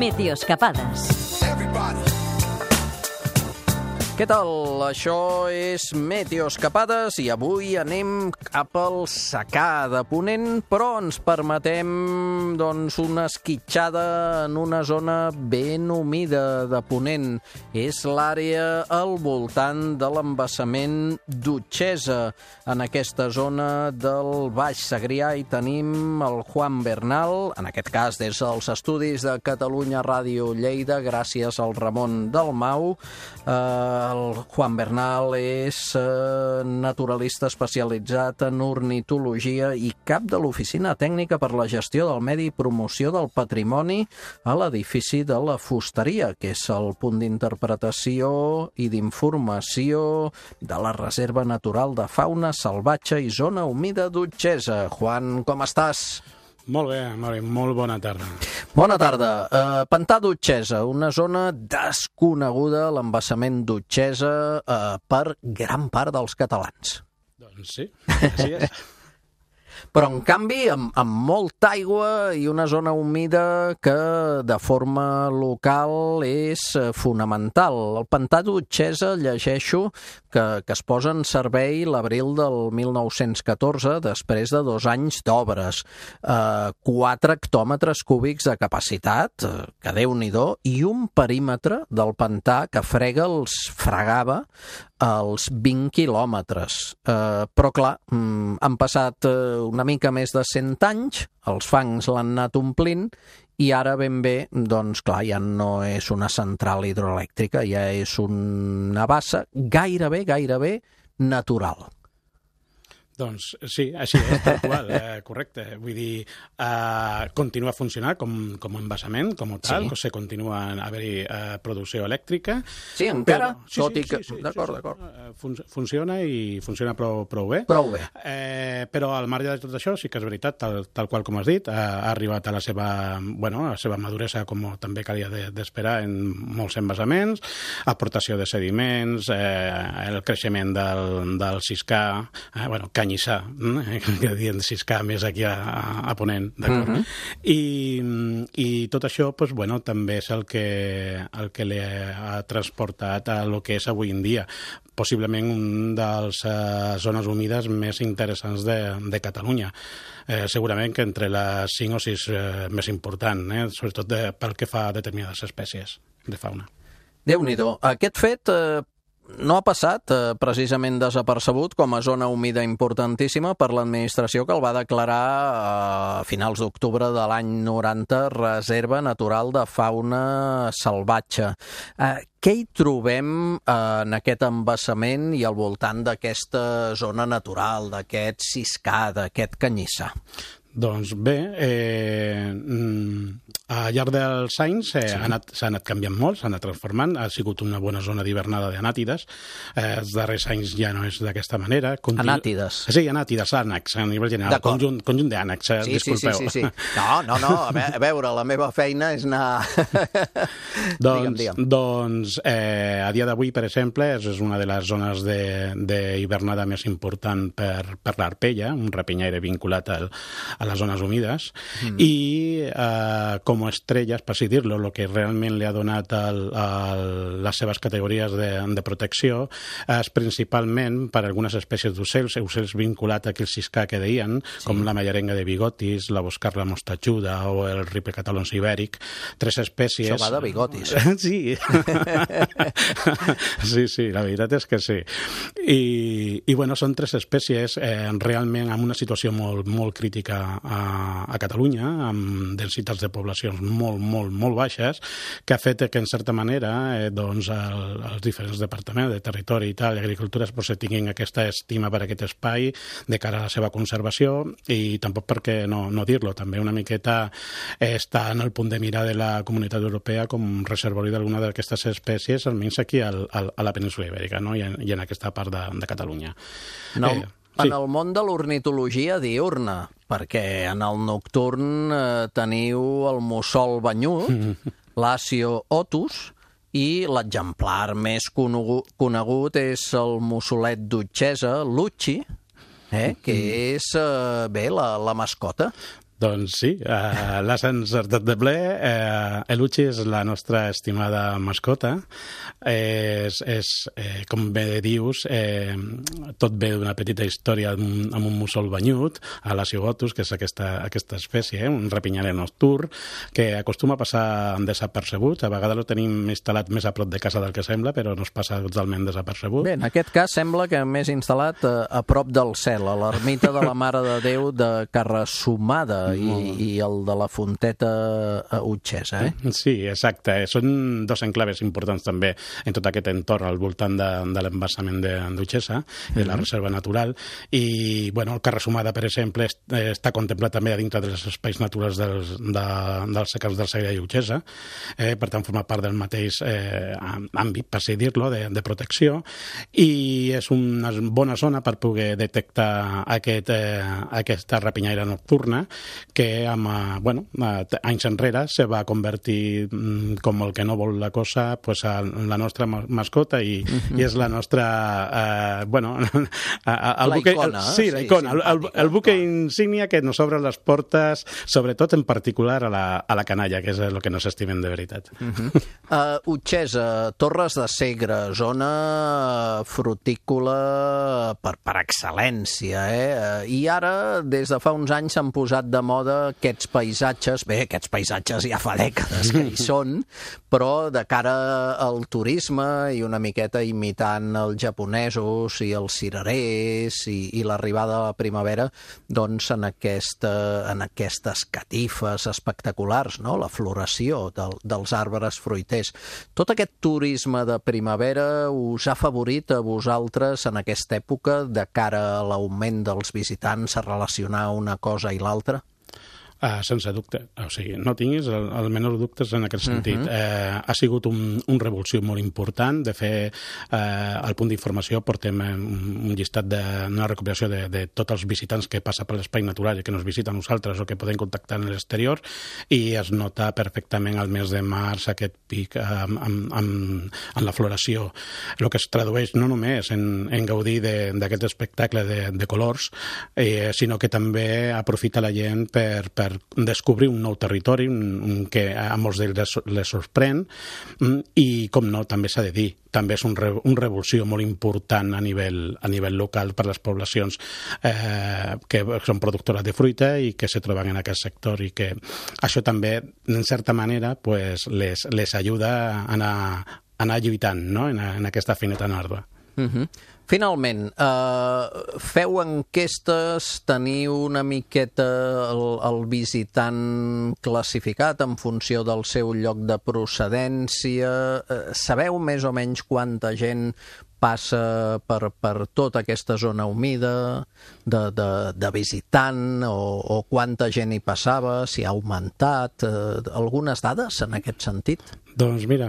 Meteoscapades. Què tal? Això és Meteoscapades i avui anem cap al secà de Ponent, però ens permetem una esquitxada en una zona ben humida de Ponent. És l'àrea al voltant de l'embassament d'Utxesa. En aquesta zona del Baix Segrià hi tenim el Juan Bernal, en aquest cas des dels estudis de Catalunya Ràdio Lleida, gràcies al Ramon Dalmau. El Juan Bernal és naturalista especialitzat en ornitologia i cap de l'Oficina Tècnica per la Gestió del Medi i Promoció del Patrimoni a l'edifici de la Fusteria, que és el punt d'interpretació i d'informació de la Reserva Natural de Fauna Salvatge i Zona Humida d'Utxesa. Juan, com estàs? Molt bé, molt bona tarda. Bona tarda. Pantà d'Utxesa, una zona desconeguda, l'embassament d'Utxesa, per gran part dels catalans. Doncs sí, així és. Però, en canvi, amb molta aigua i una zona humida que, de forma local, és fonamental. El pantà d'Utxesa, llegeixo, que es posa en servei l'abril del 1914, després de 2 anys d'obres. 4 hectòmetres cúbics de capacitat, que Déu-n'hi-do, i un perímetre del pantà que fregava els 20 quilòmetres. Però, clar, han passat una mica més de 100 anys, els fangs l'han anat omplint, i ara ben bé, doncs clar, ja no és una central hidroelèctrica, ja és una bassa gairebé natural. Doncs sí, així és, tal qual, correcte. Vull dir, continua funcionant com embassament, com tal, sí. Continua a haver-hi producció elèctrica. Sí, encara, tot i que... D'acord. Funciona i funciona prou bé. Prou bé. Però al marge de tot això, sí que és veritat, tal qual com has dit, ha arribat a la seva maduresa, com també calia d'esperar en molts embassaments, aportació de sediments, el creixement del siscà, canyissà, que dient siscà més aquí a Ponent, d'acord? I tot això, també és el que li ha transportat a lo que és avui en dia, possiblement un dels zones humides més interessants de Catalunya. Segurament que entre les 5 o 6 més important, sobretot pel que fa a determinades espècies de fauna. Déu-n'hi-do. Aquest fet no ha passat precisament desapercebut com a zona humida importantíssima per l'administració, que el va declarar a finals d'octubre de l'any 90 Reserva Natural de Fauna Salvatge. Què hi trobem en aquest embassament i al voltant d'aquesta zona natural, d'aquest siscà, d'aquest canyissar? Doncs bé, al llarg dels anys s'ha anat canviant molt, s'ha anat transformant, ha sigut una bona zona d'hivernada d'anàtides, els darrers anys ja no és d'aquesta manera. Anàtides? Sí, anàtides, ànecs, a nivell general, conjunt d'ànecs, disculpeu. Sí. No, a veure, la meva feina és anar... Doncs, a dia d'avui, per exemple, és una de les zones d'hivernada més important per l'arpella, un rapinyaire vinculat a les zones humides, i com a estrelles, per així dir-lo, el que realment li ha donat les seves categories de protecció és principalment per algunes espècies d'ocells vinculats a aquell siscà que deien, com la mallarenga de bigotis, la boscarla mostatxuda o el ripecatalons ibèric, 3 espècies... Això va de bigotis. Sí. Sí, la veritat és que sí. I són 3 espècies realment en una situació molt crítica a Catalunya, amb densitats de poblacions molt baixes, que ha fet que, en certa manera, els diferents departaments de territori i tal, d'agricultura, tinguin aquesta estima per aquest espai de cara a la seva conservació, i tampoc perquè no dir-lo, també una miqueta està en el punt de mira de la Comunitat Europea com reservori d'alguna d'aquestes espècies, almenys aquí a la península Ibèrica, no? I en aquesta part de Catalunya. En el món de l'ornitologia diurna, perquè en el nocturn teniu el mussol banyut, l'Asio otus, i l'exemplar més conegut és el mussolet d'Utxesa, l'Utxi, que és, la mascota. Doncs sí, l'has encertat de ple. Eluchi és la nostra estimada mascota. Com bé dius, tot ve d'una petita història amb un mussol banyut, a la cigotus, que és aquesta espècie, un rapinyaler nocturn, que acostuma a passar desapercebut. A vegades lo tenim instal·lat més a prop de casa del que sembla, però no es passa totalment desapercebut. Bé, en aquest cas sembla que més instal·lat a prop del cel, a l'ermita de la Mare de Déu de Carrasumada i el de la Fonteta Utxessa, Sí, exacte. Són dos enclaves importants també en tot aquest entorn al voltant de l'embassament d'Utxessa, de la reserva natural. I, bueno, el Carrasumada, per exemple, està contemplat també a dintre dels espais naturals dels secans del Segre i Utxessa. Per tant, forma part del mateix àmbit, per així dir-lo, de protecció. I és una bona zona per poder detectar aquesta rapinyaire nocturna que anys enrere se va convertir, com el que no vol la cosa, pues, a la nostra mascota i és la nostra la icona, el buque insígnia que nos obre les portes, sobretot en particular a la canalla, que és el que nos estimen de veritat. Utxessa, Torres de Segre, zona frutícola per excel·lència, i ara des de fa uns anys s'han posat de moda aquests paisatges ja fa dècades que hi són, però de cara al turisme i una miqueta imitant els japonesos i els cirerers i l'arribada de la primavera, doncs en aquestes catifes espectaculars, no? La floració dels arbres fruiters. Tot aquest turisme de primavera us ha favorit a vosaltres en aquesta època de cara a l'augment dels visitants a relacionar una cosa i l'altra? Sense dubte. O sigui, no tinguis el menor dubtes en aquest sentit. Ha sigut un revulsiu molt important. De fer, al punt d'informació portem un llistat una recopilació de tots els visitants que passa per l'espai natural i que nos visiten nosaltres o que poden contactar en l'exterior, i es nota perfectament al mes de març aquest pic en la floració. El que es tradueix no només en gaudir d'aquest espectacle de colors, sinó que també aprofita la gent per descobrir un nou territori que a molts d'ells les sorprèn, i, com no, també s'ha de dir, també és un revulsió molt important a nivell local per les poblacions que són productores de fruita i que se troben en aquest sector, i que això també, en certa manera, pues, les ajuda a anar lluitant, no? en aquesta feineta ardua. Finalment, feu enquestes, teniu una miqueta el visitant classificat en funció del seu lloc de procedència, sabeu més o menys quanta gent passa per tota aquesta zona humida de visitant, o quanta gent hi passava, si ha augmentat, algunes dades en aquest sentit? Doncs mira,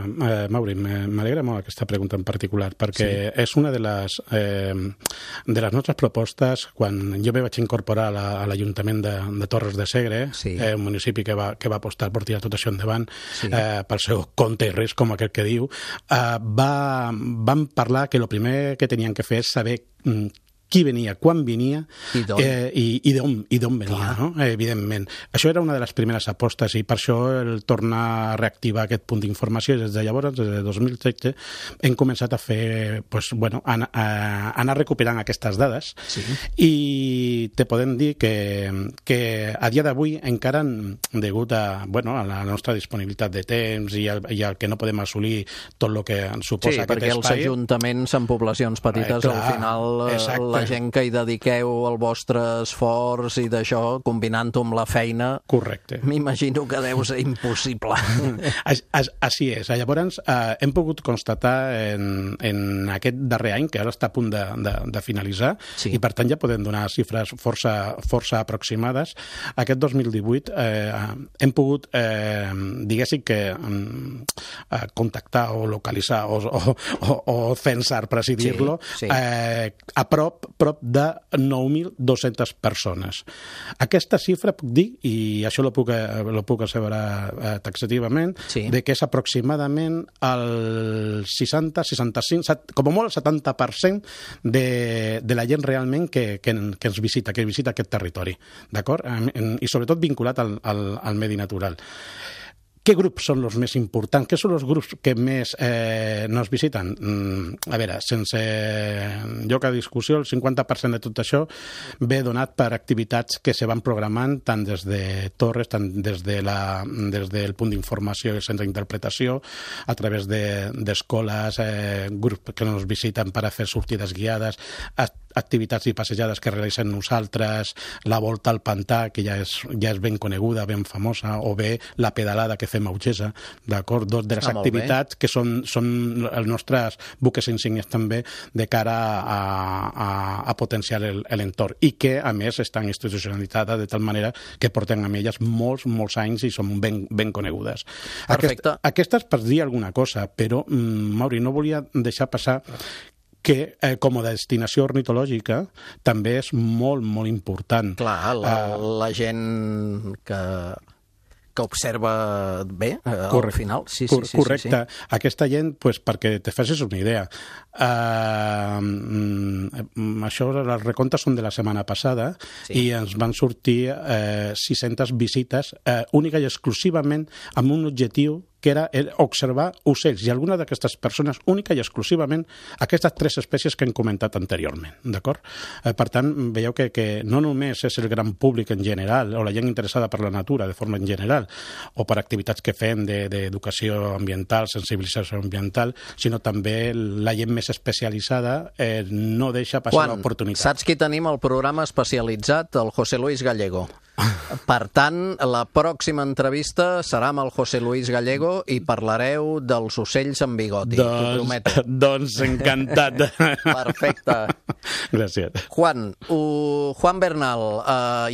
Mauri, m'alegra molt aquesta pregunta en particular, perquè és una de les nostres propostes quan jo me vaig incorporar a l'Ajuntament de Torres de Segre, un municipi que va apostar per tirar tot això endavant pel seu compte i risc, com aquell que diu. Vam parlar que el primer que tenien que fer és saber qui venia, quan venia i d'on venia, no? Evidentment. Això era una de les primeres apostes, i per això el tornar a reactivar aquest punt d'informació. Des de llavors, des de 2013, hem començat a fer, anar recuperant aquestes dades, i te podem dir que a dia d'avui encara, degut a la nostra disponibilitat de temps i al que no podem assolir tot el que suposa aquest espai... Sí, perquè els ajuntaments en poblacions petites, al final la gent que hi dediqueu el vostre esforç i d'això, combinant-ho amb la feina... Correcte. M'imagino que deu ser impossible. Així és. Llavors, hem pogut constatar en aquest darrer any, que ara està a punt de finalitzar, i per tant ja podem donar xifres força aproximades. Aquest 2018 hem pogut, diguéssim que, contactar o localitzar o censar, per així dir-lo, a prop prop de 9.200 persones. Aquesta xifra puc dir, i això lo puc asseverar taxativament, de que és aproximadament el 60, 65, com a molt el 70% de la gent realment que ens visita, que visita aquest territori, d'acord? I sobretot vinculat al medi natural. Què grups són els més importants? Què són els grups que més nos visiten? A veure, sense lloc a discussió, el 50% de tot això ve donat per activitats que se van programant tant des de Torres, tant des del punt d'informació i el centre d'interpretació, a través d'escoles, grups que nos visiten per a fer sortides guiades, activitats i passejades que realitzem nosaltres, la volta al pantà, que ja és ben coneguda, ben famosa, o bé la pedalada que fem a Utgesa, d'acord? Dos de les activitats que són els nostres buques insignes també de cara a potenciar l'entorn i que, a més, estan institucionalitzades de tal manera que portem amb elles molts anys i són ben conegudes. Perfecte. Aquestes per dir alguna cosa, però, Mauri, no volia deixar passar que com a destinació ornitològica també és molt important. Clar, la gent que observa bé, al final. Sí. Correcte. Aquesta gent, perquè te facis una idea, això, les recomptes són de la setmana passada i ens van sortir 600 visites única i exclusivament amb un objectiu que era observar ocells, i alguna d'aquestes persones única i exclusivament aquestes 3 espècies que hem comentat anteriorment, d'acord? Per tant, veieu que no només és el gran públic en general, o la gent interessada per la natura de forma en general, o per activitats que fem d'educació ambiental, sensibilització ambiental, sinó també la gent més especialitzada no deixa passar l'oportunitat. Saps qui tenim al programa especialitzat? El José Luis Gallego. Per tant, la pròxima entrevista serà amb el José Luis Gallego i parlareu dels ocells amb bigoti, t'ho prometo. Doncs encantat. Perfecte. Gràcies. Juan Bernal,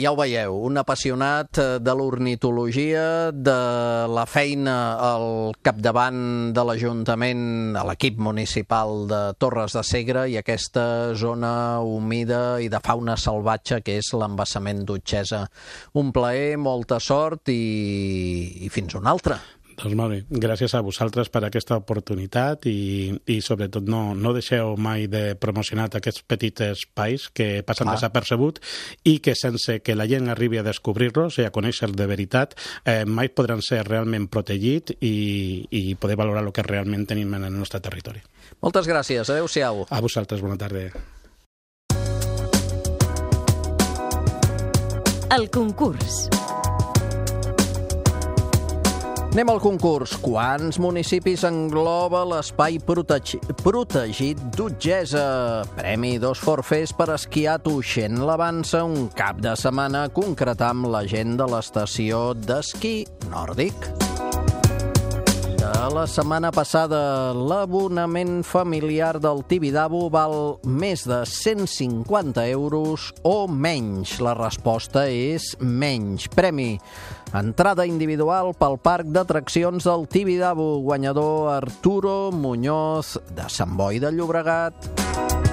ja ho veieu, un apassionat de l'ornitologia, de la feina al capdavant de l'Ajuntament, a l'equip municipal de Torres de Segre i aquesta zona humida i de fauna salvatge que és l'embassament d'Utgesa. Un plaer, molta sort i fins una altra. Doncs molt bé, gràcies a vosaltres per aquesta oportunitat i sobretot no deixeu mai de promocionar aquests petits espais que passen desapercebut i que sense que la gent arribi a descobrir-los i a conèixer de veritat mai podran ser realment protegits i poder valorar el que realment tenim en el nostre territori. Moltes gràcies, adeu-siau. A vosaltres, bona tarda. El concurs. Anem al concurs. Quants municipis engloba l'espai protegit d'Utgesa? Premi 2 forfers per esquiar a Tuixén l'Avança un cap de setmana, concretar amb la gent de l'estació d'esquí nòrdic. La setmana passada, l'abonament familiar del Tibidabo val més de 150 euros o menys. La resposta és menys. Premi: entrada individual pel parc d'atraccions del Tibidabo. Guanyador Arturo Muñoz, de Sant Boi de Llobregat.